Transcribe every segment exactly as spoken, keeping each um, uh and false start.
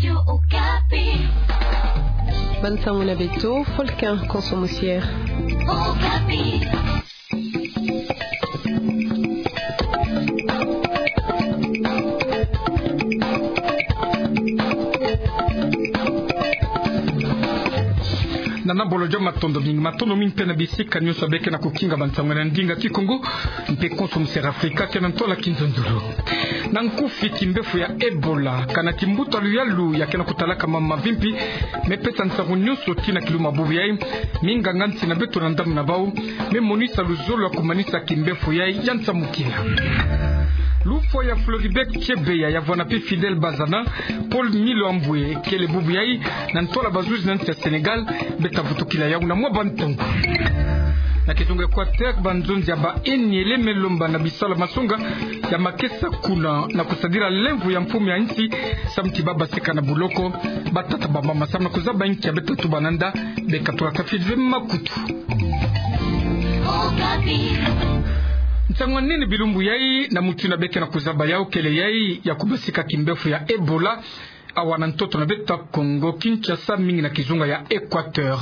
Radio Okapi. Bansango na beto, Folkin Konso Musier. Okapi. Nana bolo jo matondo mingi, matondo mingi mpe na bisika nyonso beke na kukinga bansango na ndinga Kikongo, mpe Konso Musier Afrika, ke na ntola kinzonzolo. Na nkufi, kimbefo ya Ebola, kana kimbuta luyalu ya ke na kutalaka mama mavimpi, me pesa nsangu nyonso tii na kiluma bubu yai, minganga nsi na beto na ndambu na bau, me monisa luzolo ya kumanisa kimbefo yai ya nsamukila. Lufwa ya Floribert Chebeya ya vwanda mpe Fidèle Bazana, Paul Miloambwe, kele bubu yai na ntola bazuzi na nsi ya Sénégal, beta vutukila yau na mwa bantangu. Na kizunga Équateur, banzonzi ya ba N L M lomba na bisalu ya masonga ya makesa kuna na kusadila lemvo ya mfumu ya nsi, samu ti baba basika na buloko, batata, bamama, samu na kuzaba nkia beta tuba na nda, beka tula tafiti ve makutu. Nsangu nini bilumbu yai, na mutindu beke na kuzaba yau kele yai ya kubasika kimbefo ya Ebola, awa na ntoto na beto Kongo Kinshasa, mingi na kizunga ya Équateur.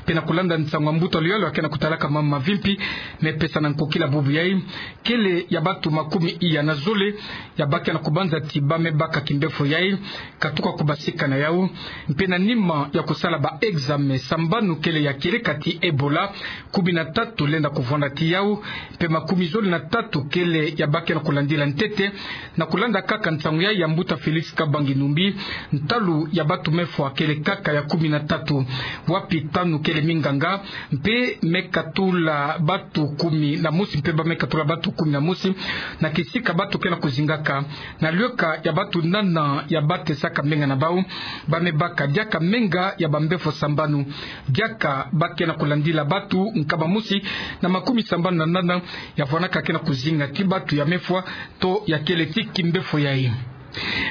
Mpe na kulanda nsangu ya mbuta luyalu ya ke na kutalaka mama mavimpi, me pesa na nkokila bubu yai, kele ya batu makumi iya na zole ya ba ke na kubanza ti ba me baka kimbefo yai, katuka kubasika na yau. Mpe na nima ya kusala ba examen sambanu kele ya kieleka ti Ebola, kumi na tatu lenda kuvwanda ti yau, mpe makumi zole na tatu kele ya ba ke na kulandila ntete, na kulanda kaka nsangu yai ya mbuta Félix Kabange Numbi, ntalu ya batu me fwa kele kaka ya kumi na tatu, wapi tanu kele minganga, mpe me katula batu kumi na mosi, mpe ba me katula batu kumi na mosi, na kisika batu ke na kuzingaka, na luyeka ya batu nana ya ba tesaka menga na bau, ba me baka diaka menga ya bambefo sambanu. Diaka ba ke na kulandila batu nkama mosi na makumi sambanu na nana ya vwanaka ke na kuzinga ti batu ya me fwa to ya kele ti kimbefo yai.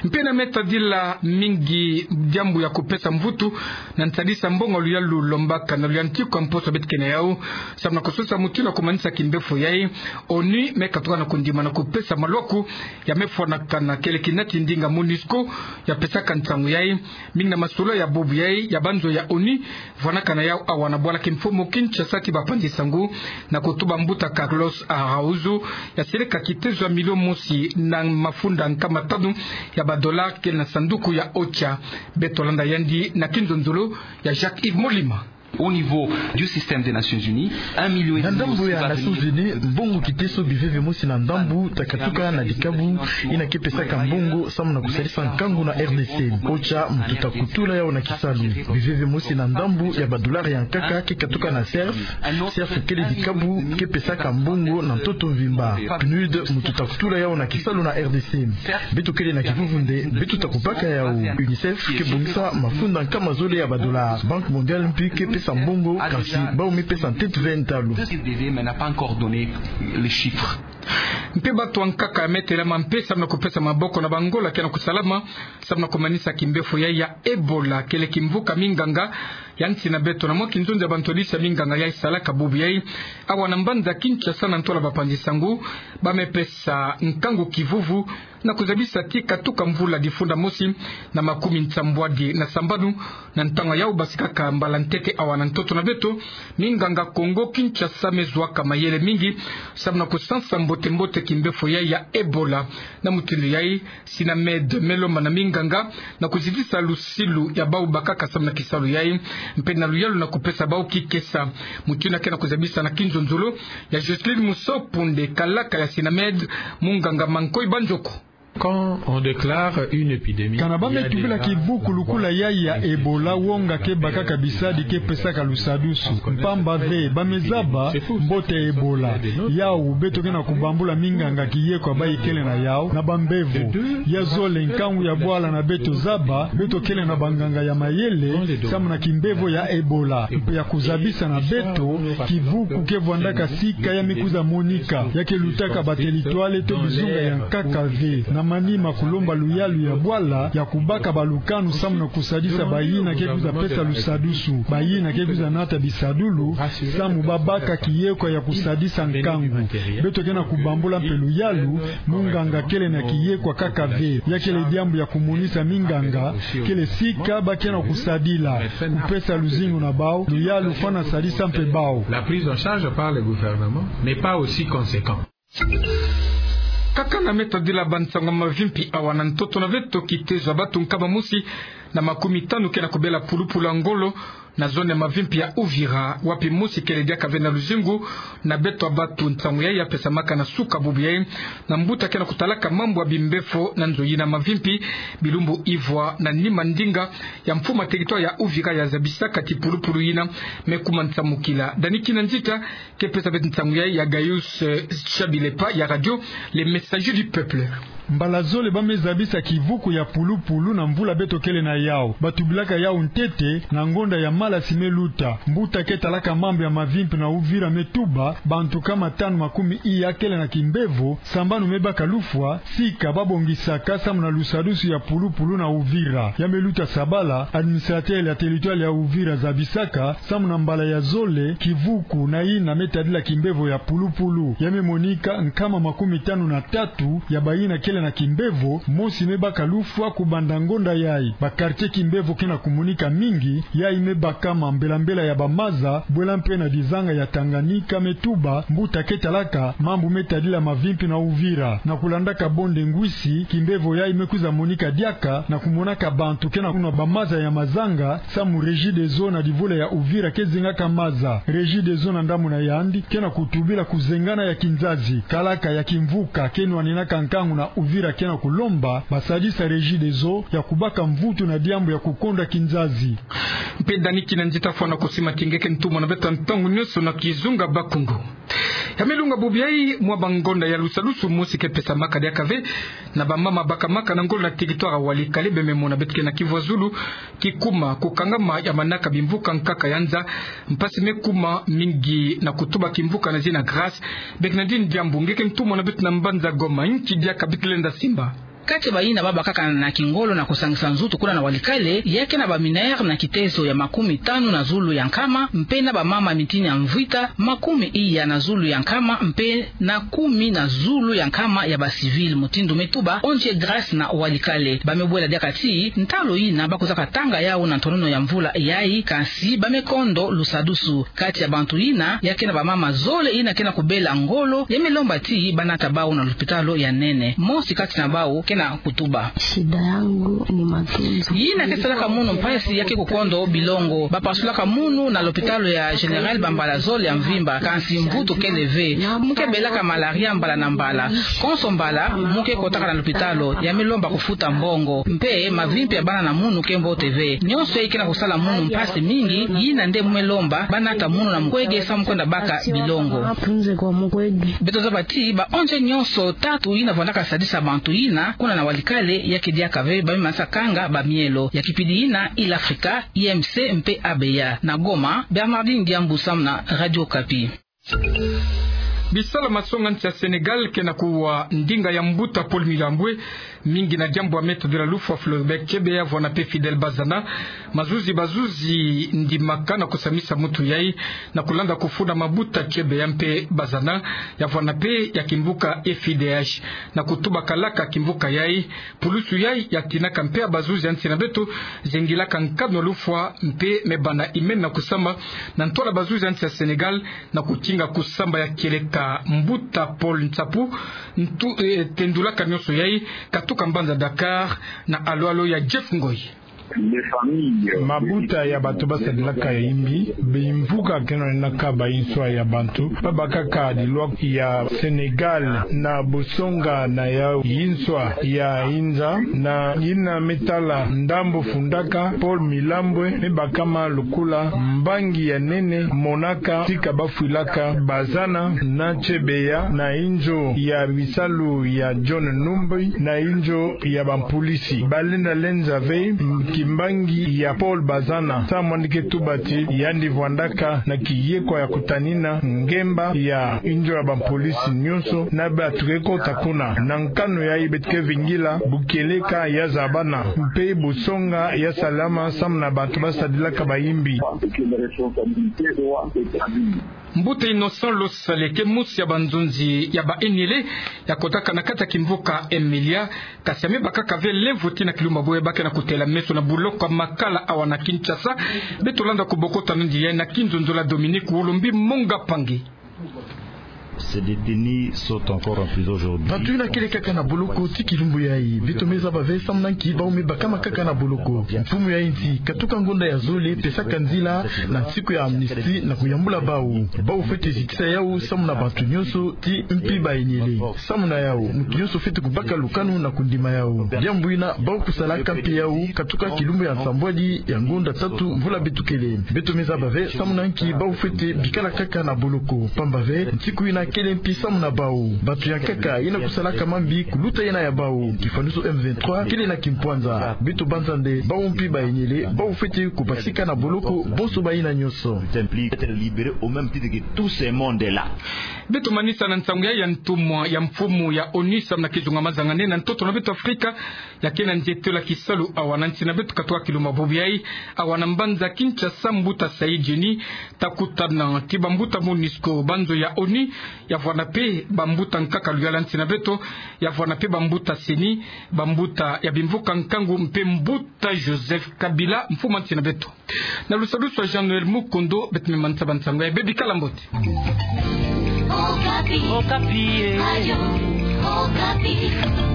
Mpe na me tadila mingi diambu ya kupesa mvutu na nsadisa mbongo luyalu lombaka na luyantiku ya mposo beti ke na yau, samu na kusosa mutindu ya kumanisa kimbefo yai, ONU me katuka na kundima na kupesa malwaku ya me fwanaka na kele kina ti ndinga MONUSCO ya pesaka nsangu yai. Mingi na masolo ya bubu yai ya banzo ya ONU vwanaka na yau awa na bwala kimfumu Kinshasa ti bapanzi nsangu, na kutuba mbuta Carlos Araújo, ya seleka kitezo ya milio mosi na mafunda nkama tanu ya ba dollars kele na sanduku ya OCHA. Beto landa yandi na kinzonzolo ya Jacques Yves Molima. Au niveau du système des Nations Unies, un million et demi. Na ndambu ya Nations Unies, mbongo kiteso biveve mosi na ndambu ta katuka na dikabu ina ke pesaka mbongo samu na kusalisa nkangu na R D C. OCHA muntu ta kutula yau na kisalu. Biveve mosi na ndambu ya ba dollars ya nkaka ke katuka na CERF. CERF kele dikabu ke pesaka mbongo na ntoto mvimba. PNUD muntu ta kutula yau na kisalu na R D C. Beto kele na kivuvu nde beto ta kubaka yau. UNICEF ke bongisa mafunda nkama zole ya ba dollars. Banque mondiale mpi ke pesa mbongo, kasi bau me pesa ntete ve ntalu. Mpe batu ya nkaka ya me telama mpe samu na kupesa maboko na bangola ke na kusalama samu na kumanisa kimbefo yai ya Ebola, kele kimvuka minganga ya nsi na beto na mwa kinzonzi ya bantwadisi ya minganga yai salaka bubu yai awa na mbanza Kinshasa, na ntola bapanzi nsangu, ba me pesa nkangu kivuvu na kuzabisa ti katuka mvula difunda mosi na makumi nsambwadi na sambanu, na ntangu yau basikaka mbala ntete awa na ntoto na beto, minganga Kongo Kinshasa me zuaka mayele mingi samu na kusansa mbote-mbote kimbefo yai ya Ebola. Na mutindu yai, SINAMED me lomba na minganga na kuzitisa lusilu ya bau bakaka samu na kisalu yai, mpe na luyalu na kupesa bau kikesa. Mutindu ke na kuzabisa na kinzonzolo ya Jocelyne Musopu nde kalaka ya SINAMED, munganga Mankoi Banjoko. Quand on déclare une épidémie, kana ba me tubila kibuku lukula yai ya Ebola, wonga ke bakaka bisadi ke pesaka lusadusu. Mpamba ve ba me zaba mbote Ebola. Yau beto ke na kubambula minganga kiyeko ya bayi kele na yau na bambevo. Ya zole, nkangu ya bwala na beto zaba, beto kele na banganga ya mayele samu na kimbevo ya Ebola, mpe ya kuzabisa na beto kibuku ke vwandaka sika ya me kwiza monika, ya ke lutaka ba territoire to bizunga ya nkaka ve. Na Manima kulomba luyalu ya bwala ya kubaka balukanu samu na kusadisa bayina ke kwiza pesa lusadusu, bayina ke kwiza nata bisadulu, samu babaka kiyekwa ya kusadisa nkangu. Beto ke na kubambula mpe luyalu, munganga kele na kiyekwa kaka ve, ya kele diambu ya kumonisa minganga, kele sika ba ke na kusadila, kupesa luzingu na bau, luyalu fwana sadisa mpe bau. La prise en charge par le gouvernement n'est pas aussi conséquente. Kaka na me tadila bansangu ya mavimpi awa na ntoto na veto, kitezo ya batu nkama mosi na makumi tanu ke na kubela pulupulu ya ngolo na zone ya mavimpi ya Uvira, wapi mosi kele diaka ve na luzingu na beto ya batu. Nsangu yayi ya pesamaka na suka bubu yayi na mbuta ke na kutalaka mambu ya bimbefo na nzo yina mavimpi, bilumbu ivwa na nima ndinga ya mfumu ya territoire ya Uvira ya zabisaka ti pulupulu yina me kuma nsamukila. Dani Kinanzita ke pesa beto nsangu yayi, ya Gaius, eh, Chabilepa ya radio Le Messager du Peuple. Mbala zole ba me zabisa kivuku ya pulupulu na mvula beto kele na yau. Ba tubilaka yau ntete na ngonda ya malasi me luta. Mbuta ke talaka mambu ya mavimpi na Uvira me tuba, bantu nkama tanu makumi iya kele na kimbevo, sambanu me baka lufwa, sika ba bongisaka samu na lusadusu ya pulupulu na Uvira. Ya me luta sabala, administrateur ya territoire ya Uvira zabisaka, samu na mbala ya zole, kivuku na yina me tadila kimbevo ya pulupulu. Ya me monika nkama makumi tanu na tatu ya bayina kele na kimbevo, mosi me baka lufwa kubanda ngonda yayi. Ba quartier kimbevo ke na kumonika mingi, yayi me bakama mbela mbela ya bamaza, bwela mpe na dizanga ya Tanganyika me tuba, mbuta ke talaka mambu me tadila mavimpi na Uvira. Na kulandaka bonde ngwisi, kimbevo yayi me kwiza monika diaka, na kumonaka bantu ke na kunwa bamaza ya mazanga, samu Regideso na divula ya Uvira ke zengaka maza. Regideso na ndambu na yandi ke na kutubila kuzengana ya kinzazi. Kalaka ya kimvuka ke nwaninaka nkangu na Uvira ke na kulomba ba sadisa Regideso ya kubaka mvutu na diambu ya kukonda kinzazi. Mpe Dani Kinanzita fwana kusima ti nge ke ntumwa na beto ya ntangu nyonso na kizunga Bakungu. Ya me lunga bubu yayi mwa bangonda ya lusadusu mosi ke pesamaka diaka ve na bamama bakamaka na ngolo na territoire ya Walikale, ba me mona beto ke na kivwazulu, kikuma kukangama ya manaka bimvuka nkaka ya nza. Mpasi me kuma mingi na kutuba kimvuka na zina Grâce Bernardine Diambu, nge ke ntumwa na beto na mbanza Goma. Nki diaka beto lenda simba? Kati ya bayina ba bakaka na kingolo na kusangisa nzutu kuna na Walikale, ya ke na ba mineure na kitezo ya makumi tanu na zulu ya nkama, mpe na bamama mitini ya mvwita, makumi iya na zulu ya nkama, mpe na kumi na zulu ya nkama ya ba civil, mutindu me tuba O N G Grâce na Walikale. Ba me bwela diaka ti ntalo yina ba kwizaka tanga yau na ntonono ya mvula yayi, kansi ba me kondo lusadusu. Kati ya bantu yina, ya ke na bamama zole yina ke na kubela ngolo, ya me lomba ti ba nata bau na lopitalo ya nene. Mosi kati na bau ke na kutuba: Shida yangu ni matunzo. Yina ke salaka munu mpasi ya ke kukondo bilongo. Ba pasulaka munu na lopitalo ya Général bambala zole ya mvimba, kansi mvutu kele ve. Mu ke belaka malaria mbala na mbala. Konso mbala mu ke kotaka na lopitalo, ya me lomba kufuta mbongo. Mpe mavimpi ya bana na munu ke mbote ve. Nyonso yayi ke na kusala munu mpasi mingi, yina nde mu me lomba ba nata munu na mukwege samu kwenda baka bilongo. Beto zaba ti ba O N G nyonso tatu yina vwandaka sadisa bantu yina kuna na Walikale, ya ke diaka ve, ba me manisa kanga bamielo. Ya kipidi yina, Île Africa, I M C mpe A B A. Na Goma, Bernardine Diambu samu na Radio Okapi. Bisalu masonga nsi ya Sénégal ke na kuwa ndinga ya mbuta Paul Milambwe, mingi na diambu ya Me Tadila Lufwa Floribert Chebeya vwanda mpe Fidèle Bazana, mazuzi bazuzi ndimaka na kusamisa mutu yayi, na kulanda kufunda mabuta Chebeya mpe Bazana, ya vwanda mpe ya kimvuka F I D H, na kutuba kalaka kimvuka yayi, pulusu yayi ya tinaka mpe ya bazuzi ya nsi na beto zengilaka nkanu ya lufwa mpe me banda imeni na kusamba na ntwala bazuzi ya nsi ya Sénégal, na kutinga kusamba ya kieleka. Mbuta Paul Nsapu ntu, eh, tendulaka nyonso yayi, katuka mbanza Dakar na alo-alo ya Jeff Ngoy. Mabuta ya bantu ba sadilaka ya imbi, bimvuka ke na ninaka bayinswa ya bantu, ba bakaka dilwa ya Sénégal na busonga na ya yinswa ya inza, na yina me tala ndambu fundaka Paul Milambwe, me bakama lukula mbangi ya nene, monaka tika ba fwilaka Bazana na Chebeya na inzo ya bisalu ya John Numbi na inzo ya bampulisi. Ba lenda lenza ve, m-, Mbangi ya Paul Bazana, samu yandi ke tuba ti yandi vwandaka na kiyekwa ya kutanina ngemba ya inzo ya bampolisi nyonso na bato ke kota kuna. Na nkanu yayi beto ke vingila bukeleka ya zabana mpe busonga ya salama samu na bato basadilaka bayimbi. Mbuta Innocent Losale ke mosi ya banzonzi ya ba Enyele ya kotaka na kati ya kimvuka Emilia, kasi ame bakaka ve lemvo ti na kilumbu boye ba ke na kutela meso na boloko ya Makala awa na Kinshasa. Beto landa kubokota nandi yayi na kinzonzolo ya Dominique Wolombi Monga Pangi. Ces détenus sont encore en prison aujourd'hui. Bato yina kele kaka na boloko tii kilumbu yayi. Beto me zaba ve samu na nki bau me bakama kaka na boloko. Mfumu ya insi, katuka ngonda ya zole, pesaka nzila na nsiku ya amnistie na kuyambula bau. Bau fwete zitisa yau samu na bato nyonso tii mpi ba Enyele. Samu na yau, moto nyonso fwete kubaka lukanu na kundima yau. Diambu yina bau kusalaka mpe yau, katuka kilumbu ya nsambwadi ya ngonda tatu mvula beto kele. Beto me zaba ve samu na nki bau fwete bikala kaka na boloko. Pamba ve, nsiku yina kele mpi samu na bau. Bato ya nkaka yina kusalaka mambi kuluta yina ya bau, kifwanusu M vingt-trois, kele na kimpwanza. Beto banza nde bau mpi ba Enyele bau fwete kubasika na boloko bonso bayina nyonso. Être libérés au même titre que tous ces mondes-là. Beto manisa na nsangu ya, ya ntumwa ya mfumu ya ONU samu na kizunga mazangane na ntoto na beto Afrika, ya ke na nzietelo ya kisalu awa na nsi na beto katuka kilumbu bobo yayi, awa na mbanza Kinshasa, mbuta Saïd Djeni, ta kutana tii bambuta MONUSCO, banzo ya ONU, ya vwanda mpe bambuta nkaka luyala nsi na beto, ya vwanda mpe bambuta CENI, bambuta ya bimvuka nkangu mpe mbuta Joseph Kabila, mfumu ya nsi na beto. Na lusadusu ya Jean-Noël Mukondo, beto me manisa bansangu ya bebikala mbote. Okapi. Okapi, eh. Radio Okapi.